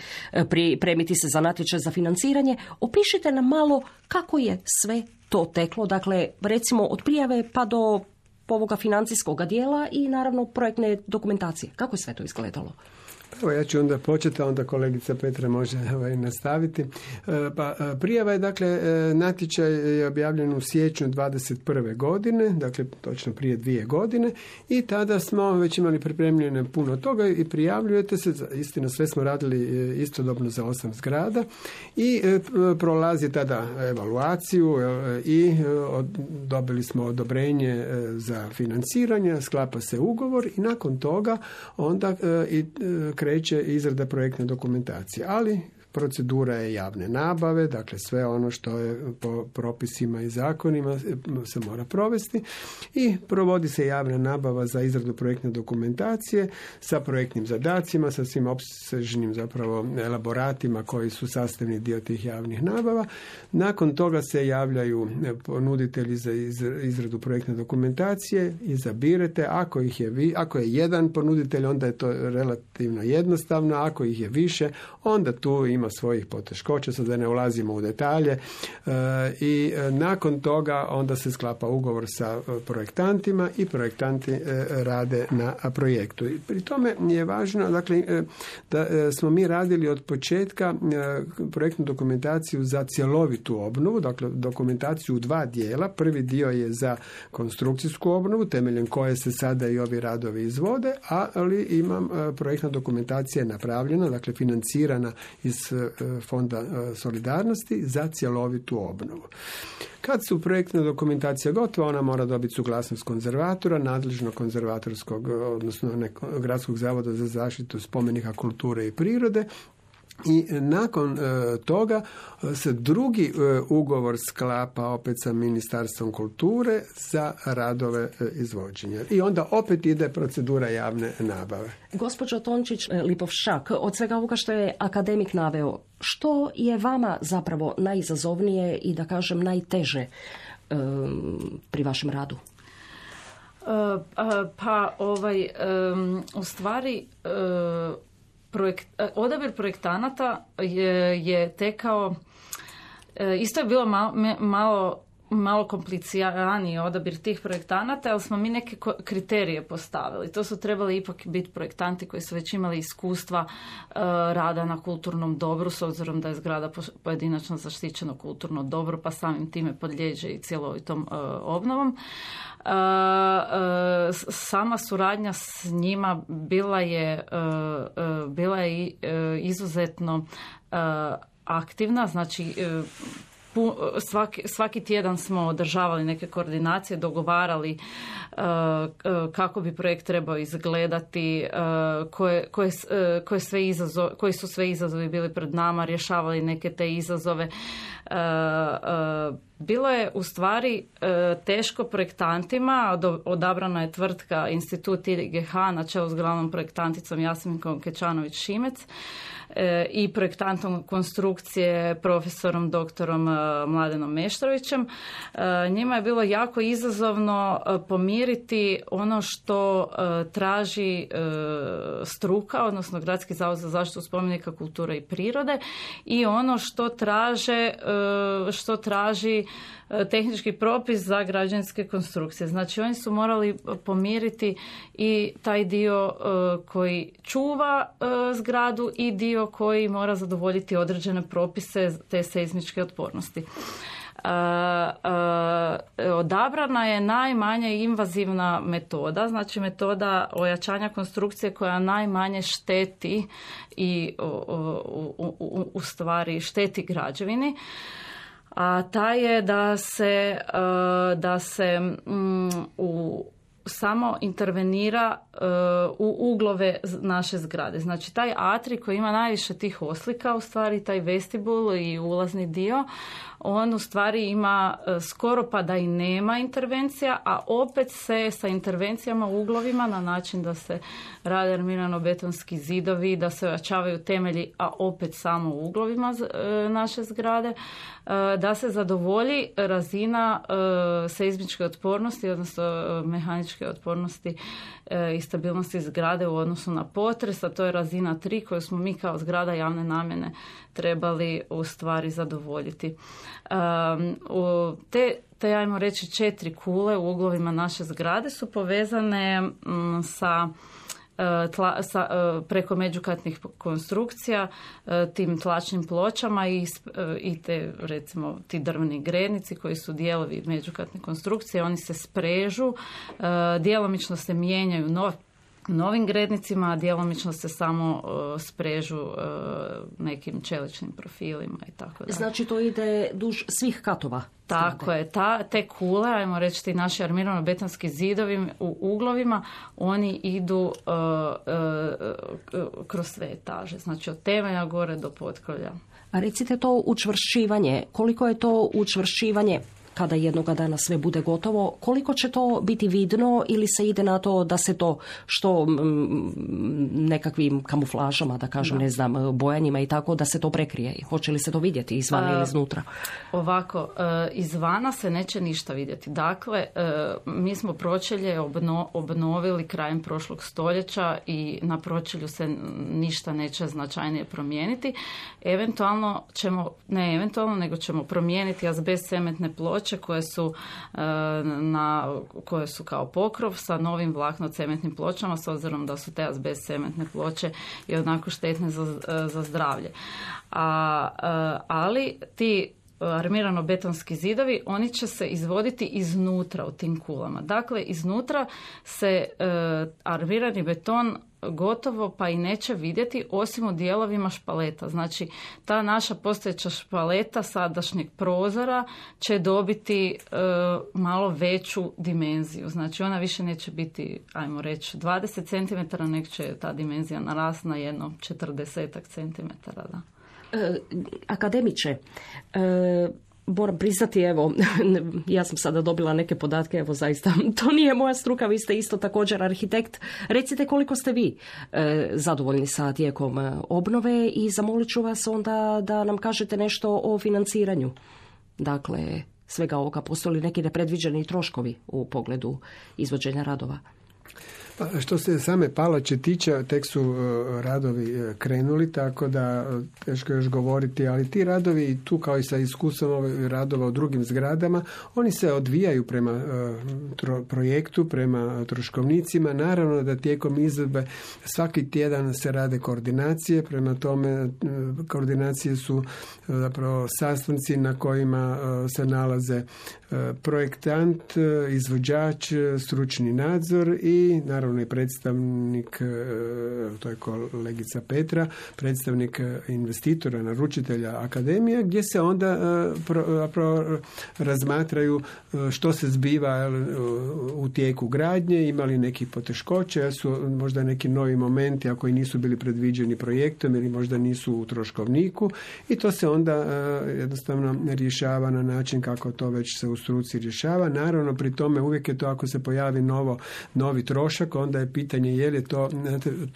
pripremiti se za natječaj za financiranje. Opišite nam malo kako je sve to teklo, dakle recimo od prijave pa do ovoga financijskog dijela i naravno projektne dokumentacije. Kako je sve to izgledalo? Evo ja ću onda početi, a onda kolegica Petra može ovaj, nastaviti. Pa, prijava je, dakle, natječaj je objavljen u siječnju dvadeset prve godine, dakle točno prije dvije godine i tada smo već imali pripremljene puno toga i prijavljujete se, istina sve smo radili istodobno za osam zgrada i prolazi tada evaluaciju i dobili smo odobrenje za financiranje, sklapa se ugovor i nakon toga onda i kreće izrada projektne dokumentacije, ali procedura je javne nabave, dakle sve ono što je po propisima i zakonima se mora provesti i provodi se javna nabava za izradu projektne dokumentacije sa projektnim zadacima, sa svim opsežnim zapravo elaboratima koji su sastavni dio tih javnih nabava. Nakon toga se javljaju ponuditelji za izradu projektne dokumentacije, izabirete, ako ih je vi, ako je jedan ponuditelj, onda je to relativno jednostavno, ako ih je više, onda tu ima svojih poteškoća, sad da ne ulazimo u detalje, e, i nakon toga onda se sklapa ugovor sa projektantima i projektanti e, rade na projektu. I pri tome je važno, dakle, e, da e, smo mi radili od početka e, projektnu dokumentaciju za cjelovitu obnovu, dakle dokumentaciju u dva dijela. Prvi dio je za konstrukcijsku obnovu, temeljem koje se sada i ovi radovi izvode, ali imam e, projektna dokumentacija napravljena, dakle financirana iz Fonda solidarnosti za cjelovitu obnovu. Kad su projektna dokumentacija gotova, ona mora dobiti suglasnost konzervatora, nadležnog konzervatorskog, odnosno nekog gradskog zavoda za zaštitu spomenika kulture i prirode. I nakon e, toga se drugi e, ugovor sklapa opet sa Ministarstvom kulture za radove e, izvođenja. I onda opet ide procedura javne nabave. Gospođo Tončić Lipovšak, od svega ovoga što je akademik naveo, što je vama zapravo najizazovnije i da kažem najteže e, pri vašem radu? Uh, pa ovaj, um, u stvari uh, Projekt, odabir projektanata je, je tekao, isto je bilo malo, malo, malo kompliciraniji odabir tih projektanata, ali smo mi neke kriterije postavili. To su trebali ipak biti projektanti koji su već imali iskustva uh, rada na kulturnom dobru, s obzirom da je zgrada pojedinačno zaštićeno kulturno dobro, pa samim time podliježe i cjelovitom uh, obnovom. Uh, uh, sama suradnja s njima bila je, uh, uh, bila je uh, izuzetno uh, aktivna, znači uh, pu, svaki, svaki tjedan smo održavali neke koordinacije, dogovarali uh, uh, kako bi projekt trebao izgledati, uh, koje, koje, uh, koje sve izazov, koji su sve izazovi bili pred nama, rješavali neke te izazove. Uh, uh, bilo je u stvari e, teško projektantima, odabrana je tvrtka Institut I G H na čelu s glavnom projektanticom Jasminkom Kečanović-Šimec e, i projektantom konstrukcije profesorom doktorom e, Mladenom Meštrovićem. E, njima je bilo jako izazovno e, pomiriti ono što e, traži e, struka, odnosno Gradski zavod za zaštitu spomenika kulture i prirode, i ono što traže e, što traži tehnički propis za građevinske konstrukcije. Znači oni su morali pomiriti i taj dio koji čuva zgradu i dio koji mora zadovoljiti određene propise te seizmičke otpornosti. Odabrana je najmanje invazivna metoda, znači metoda ojačanja konstrukcije koja najmanje šteti i u, u, u stvari šteti građevini. A ta je da se, da se u, samo intervenira u uglove naše zgrade. Znači taj atri koji ima najviše tih oslika, u stvari taj vestibul i ulazni dio, on u stvari ima skoro pa da i nema intervencija, a opet se sa intervencijama u uglovima na način da se rade armirano-betonski zidovi, da se ojačavaju temelji, a opet samo u uglovima naše zgrade, da se zadovolji razina seizmičke otpornosti, odnosno mehaničke otpornosti i stabilnosti zgrade u odnosu na potres, a to je razina tri koju smo mi kao zgrada javne namjene trebali u stvari zadovoljiti. Um, te, te, ajmo reći, četiri kule u uglovima naše zgrade su povezane um, sa Tla, sa, preko međukatnih konstrukcija, tim tlačnim pločama i, i te, recimo, ti drveni grednici koji su dijelovi međukatne konstrukcije, oni se sprežu, djelomično se mijenjaju nov, novim grednicima, a djelomično se samo sprežu nekim čeličnim profilima i tako dalje. Znači to ide duž svih katova? Tako je, ta, te kule, ajmo reći ti naši armirano-betonski zidovi u uglovima, oni idu uh, uh, uh, kroz sve etaže, znači od temelja gore do potkrovlja. A recite to učvršćivanje, koliko je to učvršćivanje kada jednoga dana sve bude gotovo, koliko će to biti vidno ili se ide na to da se to što m, nekakvim kamuflažama, da kažem, da. ne znam, bojanjima i tako, da se to prekrije? Hoće li se to vidjeti izvana ili iznutra? Ovako, izvana se neće ništa vidjeti. Dakle, mi smo pročelje obno, obnovili krajem prošlog stoljeća i na pročelju se ništa neće značajnije promijeniti. Eventualno ćemo, ne eventualno, nego ćemo promijeniti azbest cementne ploče koje su, na, koje su kao pokrov sa novim vlakno-cementnim pločama, s obzirom da su te azbest cementne ploče i onako štetne za, za zdravlje. A, ali ti armirano-betonski zidovi, oni će se izvoditi iznutra u tim kulama. Dakle, iznutra se e, armirani beton gotovo pa i neće vidjeti osim u dijelovima špaleta. Znači, ta naša postojeća špaleta sadašnjeg prozora će dobiti e, malo veću dimenziju. Znači, ona više neće biti, ajmo reći, dvadeset centimetara, nek će ta dimenzija narasti na jedno četrdesetak centimetara, da. E, akademiče, e, moram priznati, evo, ja sam sada dobila neke podatke, evo zaista, to nije moja struka, vi ste isto također arhitekt. Recite koliko ste vi e, zadovoljni sa tijekom obnove i zamolit ću vas onda da nam kažete nešto o financiranju. Dakle, svega ovoga, postoje li neki nepredviđeni troškovi u pogledu izvođenja radova? Pa, što se same palače tiče, tek su radovi krenuli, tako da teško još govoriti, ali ti radovi, tu kao i sa iskustvom ovih radova u drugim zgradama, oni se odvijaju prema tro, projektu, prema troškovnicima. Naravno da tijekom izvedbe svaki tjedan se rade koordinacije, prema tome koordinacije su zapravo sastanci na kojima se nalaze projektant, izvođač, stručni nadzor i naravno naravno i predstavnik, to je kolegica Petra, predstavnik investitora, naručitelja akademije, gdje se onda pro, pro, razmatraju što se zbiva u tijeku gradnje, imali nekih poteškoća, jer su možda neki novi momenti, ako i nisu bili predviđeni projektom ili možda nisu u troškovniku, i to se onda jednostavno rješava na način kako to već se u struci rješava. Naravno, pri tome uvijek je to, ako se pojavi novo, novi trošak, onda je pitanje je li to...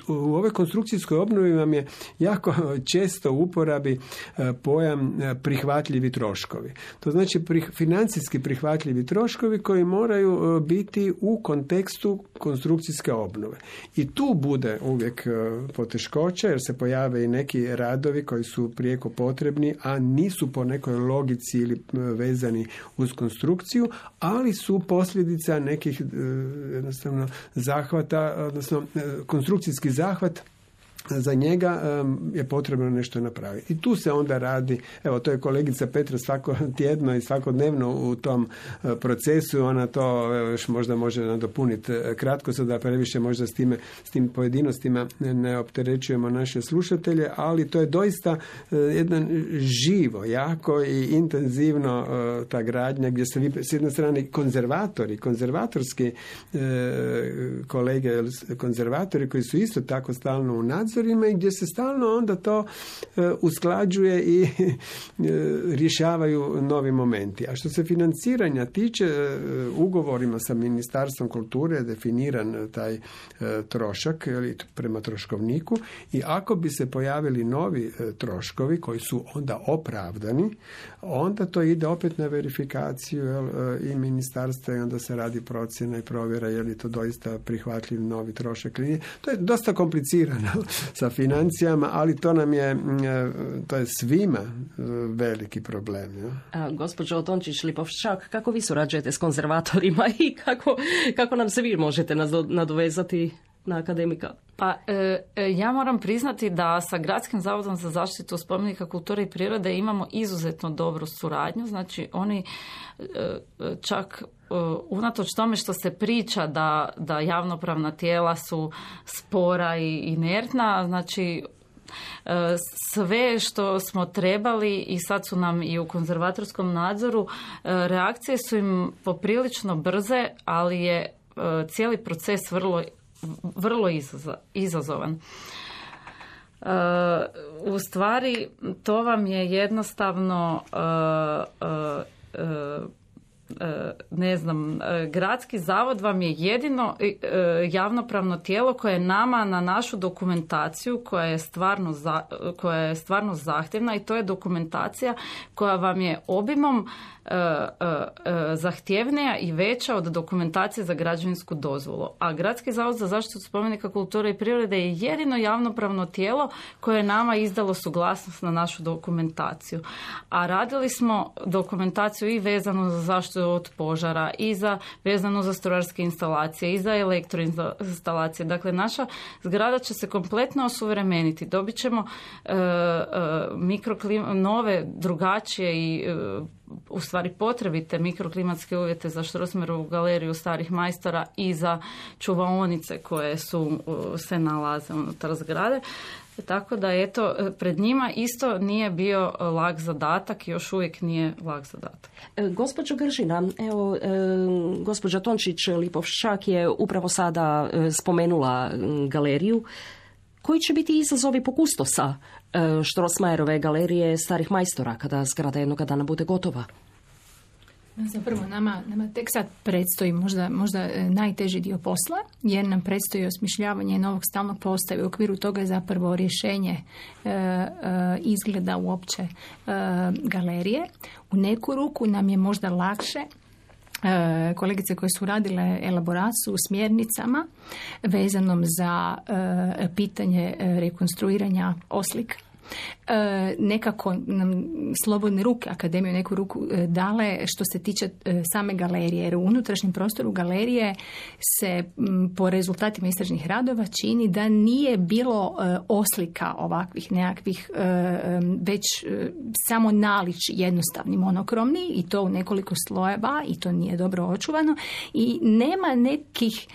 U ovoj konstrukcijskoj obnovi vam je jako često u uporabi pojam prihvatljivi troškovi. To znači financijski prihvatljivi troškovi koji moraju biti u kontekstu konstrukcijske obnove. I tu bude uvijek poteškoća, jer se pojave i neki radovi koji su prijeko potrebni, a nisu po nekoj logici ili vezani uz konstrukciju, ali su posljedica nekih jednostavno zahvata, odnosno konstrukcijski zahvat, za njega um, je potrebno nešto napraviti. I tu se onda radi, evo, to je kolegica Petra svako tjedno i svakodnevno u tom uh, procesu, ona to evo, još možda može nadopuniti kratko, so da previše možda s, time, s tim pojedinostima ne, ne opterećujemo naše slušatelje, ali to je doista uh, jedan živo, jako i intenzivno uh, ta gradnja, gdje se vi, s jedne strane konzervatori, konzervatorski uh, kolege, konzervatori koji su isto tako stalno u nadzoru, i gdje se stalno onda to e, usklađuje i e, rješavaju novi momenti. A što se financiranja tiče, e, ugovorima sa Ministarstvom kulture je definiran taj e, trošak ili prema troškovniku, i ako bi se pojavili novi e, troškovi koji su onda opravdani, onda to ide opet na verifikaciju jel, e, i ministarstva, i onda se radi procjena i provjera je li to doista prihvatljiv novi trošak. To je dosta komplicirano sa financijama, ali to nam je, to je svima veliki problem. Ja? A, gospođo Tončić-Lipovščak, kako vi surađujete s konzervatorima i kako, kako nam se vi možete nadovezati na akademika? Pa e, ja moram priznati da sa Gradskim zavodom za zaštitu spomenika kulture i prirode imamo izuzetno dobru suradnju. Znači oni e, čak e, unatoč tome što se priča da, da javnopravna tijela su spora i inertna, znači sve što smo trebali i sad su nam i u konzervatorskom nadzoru, reakcije su im poprilično brze, ali je cijeli proces vrlo vrlo izazovan. Uh, u stvari to vam je jednostavno uh, uh, uh, ne znam, Gradski zavod vam je jedino javnopravno tijelo koje je nama na našu dokumentaciju koja je stvarno, za, koja je stvarno zahtjevna, i to je dokumentacija koja vam je obimom zahtjevnija i veća od dokumentacije za građevinsku dozvolu. A Gradski zavod za zaštitu spomenika kulture i prirode je jedino javnopravno tijelo koje je nama izdalo suglasnost na našu dokumentaciju. A radili smo dokumentaciju i vezanu za zaštitu od požara, i za vezano za strojarske instalacije, i za elektroinstalacije. Dakle, naša zgrada će se kompletno osuvremeniti. Dobit ćemo e, e, mikroklim, nove, drugačije i e, u stvari potrebite mikroklimatske uvjete za Strossmayerovu galeriju starih majstora i za čuvaonice koje su, se nalaze unutar zgrade. Tako da, eto, pred njima isto nije bio lak zadatak, još uvijek nije lak zadatak. E, gospođo Gržina, evo, e, gospođa Tončić-Lipovščak je upravo sada e, spomenula galeriju. Koji će biti izazovi po kustosa e, Strossmayerove galerije starih majstora kada zgrada jednoga dana bude gotova? Zapravo nama, nama tek sad predstoji možda, možda najteži dio posla, jer nam predstoji osmišljavanje novog stalnog postava. U okviru toga je zapravo rješenje e, e, izgleda uopće e, galerije. U neku ruku nam je možda lakše e, kolegice koje su radile elaboraciju u smjernicama vezanom za e, pitanje rekonstruiranja oslika. e, nekako nam slobodne ruke akademije neku ruku e, dale što se tiče e, same galerije. Jer u unutrašnjem prostoru galerije se m, po rezultatima istražnih radova čini da nije bilo e, oslika ovakvih nekakvih e, već e, samo nalič jednostavni monokromni i to u nekoliko slojeva i to nije dobro očuvano i nema nekih,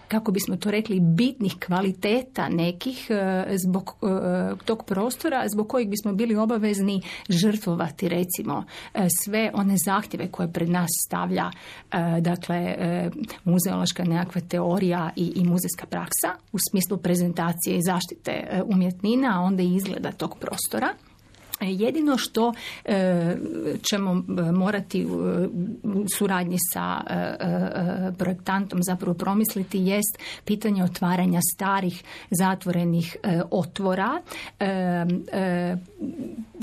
kako bismo to rekli, bitnih kvaliteta nekih e, zbog e, tog prostora zbog kojih bismo bili obavezni žrtvovati recimo e, sve one zahtjeve koje pred nas stavlja e, dakle e, muzeološka nekakva teorija i, i muzejska praksa u smislu prezentacije i zaštite e, umjetnina, a onda i izgleda tog prostora. Jedino što e, ćemo morati u suradnji sa e, e, projektantom zapravo promisliti jest pitanje otvaranja starih zatvorenih e, otvora e, e,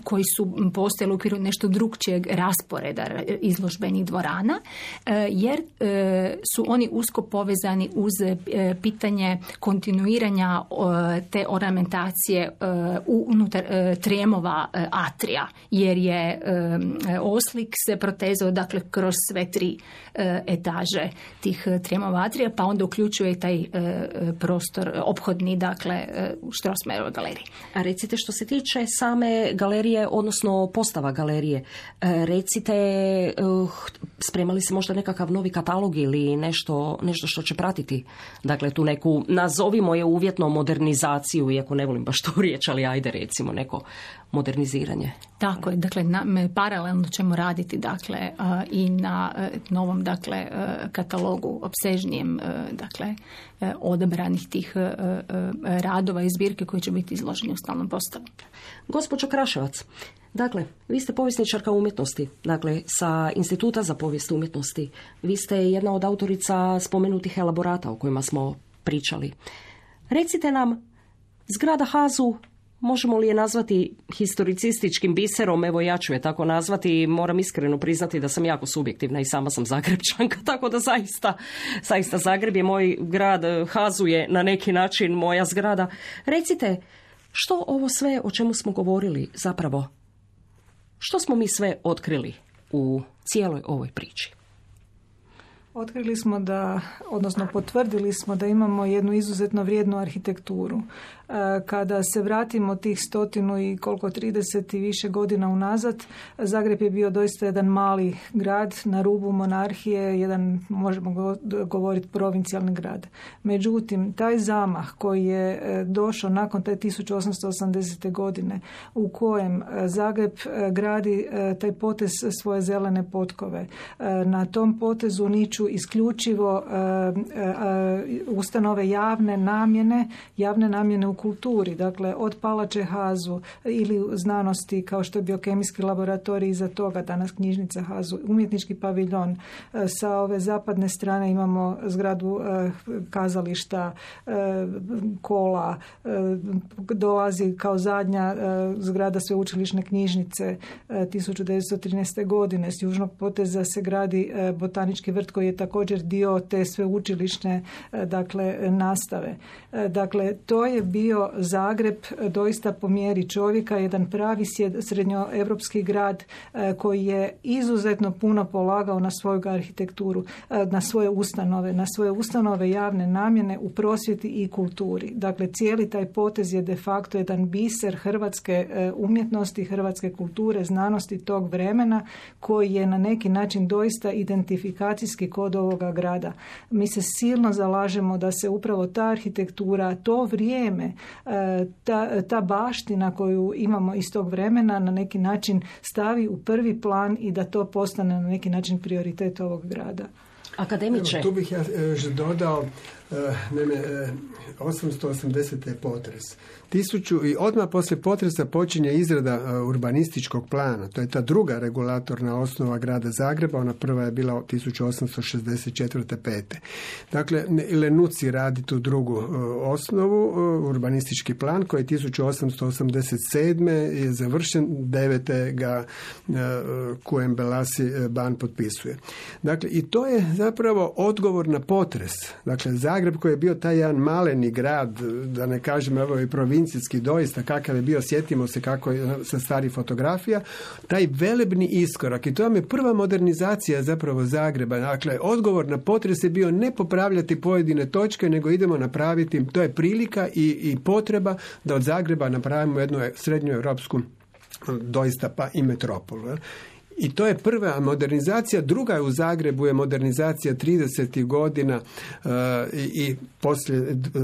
koji su postojali u okviru nešto drugčijeg rasporeda izložbenih dvorana, e, jer e, su oni usko povezani uz e, pitanje kontinuiranja e, te ornamentacije e, unutar e, trijemova e, atrija, jer je e, oslik se protezao dakle kroz sve tri e, etaže tih trijemova atrija, pa onda uključuje i taj e, prostor ophodni, dakle e, u Strossmayerovoj galeriji. A recite, što se tiče same galerije, odnosno postava galerije, e, recite, e, spremali se možda nekakav novi katalog ili nešto, nešto što će pratiti, dakle tu neku, nazovimo je uvjetno modernizaciju, iako ne volim baš tu riječ, ali ajde recimo neko moderniziranje. Tako je, dakle na, paralelno ćemo raditi dakle uh, i na uh, novom dakle uh, katalogu opsežnijem uh, dakle uh, odabranih tih uh, uh, radova i zbirke koji će biti izloženi u stalnom postavu. Gospođo Kraševac, dakle, vi ste povjesničarka umjetnosti, dakle, sa Instituta za povijest umjetnosti. Vi ste jedna od autorica spomenutih elaborata o kojima smo pričali. Recite nam, zgrada Hazu, možemo li je nazvati historicističkim biserom? Evo, ja ću je tako nazvati. Moram iskreno priznati da sam jako subjektivna i sama sam Zagrebčanka, tako da zaista, zaista Zagreb je moj grad, Hazu je na neki način moja zgrada. Recite, što ovo sve o čemu smo govorili zapravo, što smo mi sve otkrili u cijeloj ovoj priči? Otkrili smo da, odnosno potvrdili smo da imamo jednu izuzetno vrijednu arhitekturu. Kada se vratimo tih stotinu i koliko trideset i više godina unazad, Zagreb je bio doista jedan mali grad na rubu monarhije, jedan, možemo govoriti, provincijalni grad. Međutim, taj zamah koji je došao nakon te tisuću osamsto osamdesete godine, u kojem Zagreb gradi taj potez svoje zelene potkove, na tom potezu niču isključivo ustanove javne namjene, javne namjene u kulturi, dakle od Palače Hazu ili znanosti kao što je biokemijski laboratorij, iza toga danas knjižnica Hazu, umjetnički paviljon. Sa ove zapadne strane imamo zgradu kazališta, kola, dolazi kao zadnja zgrada sveučilišne knjižnice tisuću devetsto trinaeste. godine. S južnog poteza se gradi botanički vrt koji je također dio te sveučilišne dakle nastave. Dakle, to je bio Zagreb doista po mjeri čovjeka, jedan pravi srednjoevropski grad koji je izuzetno puno polagao na svoju arhitekturu, na svoje ustanove, na svoje ustanove javne namjene u prosvjeti i kulturi. Dakle, cijeli taj potez je de facto jedan biser hrvatske umjetnosti, hrvatske kulture, znanosti tog vremena koji je na neki način doista identifikacijski kod ovoga grada. Mi se silno zalažemo da se upravo ta arhitektura, to vrijeme, Ta, ta baština koju imamo iz tog vremena na neki način stavi u prvi plan i da to postane na neki način prioritet ovog grada. Akademiče. Evo, tu bih ja još dodao, naime, osamsto osamdesete je potres. Tisuću, i odmah poslije potresa počinje izrada urbanističkog plana. To je ta druga regulatorna osnova grada Zagreba. Ona prva je bila tisuću osamsto šezdeset četvrte pete. Dakle, Lenuci radi tu drugu osnovu, urbanistički plan, koji tisuću osamsto osamdeset sedme je završen, devete ga Kuem Belasi ban potpisuje. Dakle, i to je zapravo odgovor na potres. Dakle, Zagreb Zagreb koji je bio taj jedan maleni grad, da ne kažem ovo je provincijski doista, kakav je bio, sjetimo se kako je sa starih fotografija, taj velebni iskorak i to vam je prva modernizacija zapravo Zagreba. Dakle, odgovor na potres je bio ne popravljati pojedine točke, nego idemo napraviti, to je prilika i, i potreba da od Zagreba napravimo jednu srednju europsku doista pa i metropolu. I to je prva modernizacija. Druga je u Zagrebu je modernizacija tridesetih godina uh, i, i poslije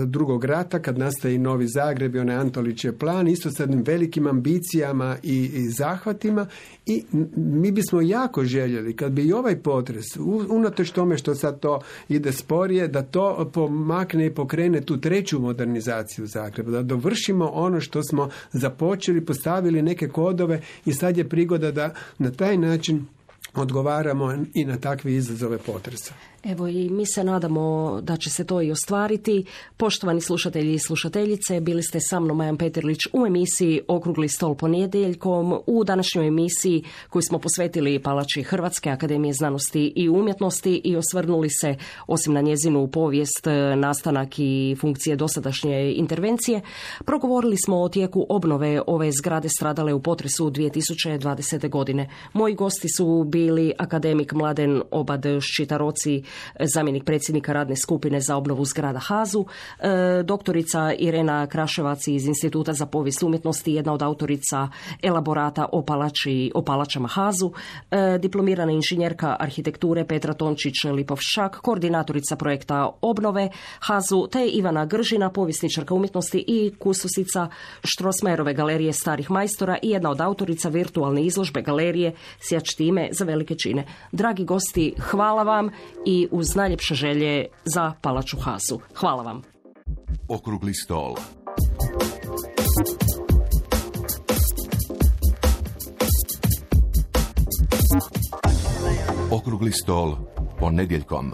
drugog rata kad nastaje i Novi Zagreb i onaj Antolićev plan, isto s jednim velikim ambicijama i, i zahvatima i mi bismo jako željeli kad bi i ovaj potres, unatoč tome što sad to ide sporije, da to pomakne i pokrene tu treću modernizaciju Zagreba, da dovršimo ono što smo započeli, postavili neke kodove i sad je prigoda da na taj način odgovaramo i na takve izazove potresa. Evo i mi se nadamo da će se to i ostvariti. Poštovani slušatelji i slušateljice, bili ste sa mnom Majan Peterlić u emisiji Okrugli stol ponedjeljkom. U današnjoj emisiji koju smo posvetili palači Hrvatske akademije znanosti i umjetnosti i osvrnuli se osim na njezinu povijest, nastanak i funkcije dosadašnje intervencije, progovorili smo o tijeku obnove ove zgrade stradale u potresu dvije tisuće dvadesete. godine. Moji gosti su bili akademik Mladen Obad Ščitaroci, zamjenik predsjednika radne skupine za obnovu zgrada HAZU, doktorica Irena Kraševac iz Instituta za povijest umjetnosti, jedna od autorica elaborata o, palači, o palačama HAZU, diplomirana inženjerka arhitekture Petra Tončić-Lipovšak, koordinatorica projekta obnove HAZU, te Ivana Gržina, povjesničarka umjetnosti i kustosica Strossmayerove galerije starih majstora i jedna od autorica virtualne izložbe galerije Sjać time za velike čine. Dragi gosti, hvala vam i uz najljepše želje za palaču HAZU. Hvala vam. Okrugli stol. Okrugli stol ponedjeljkom.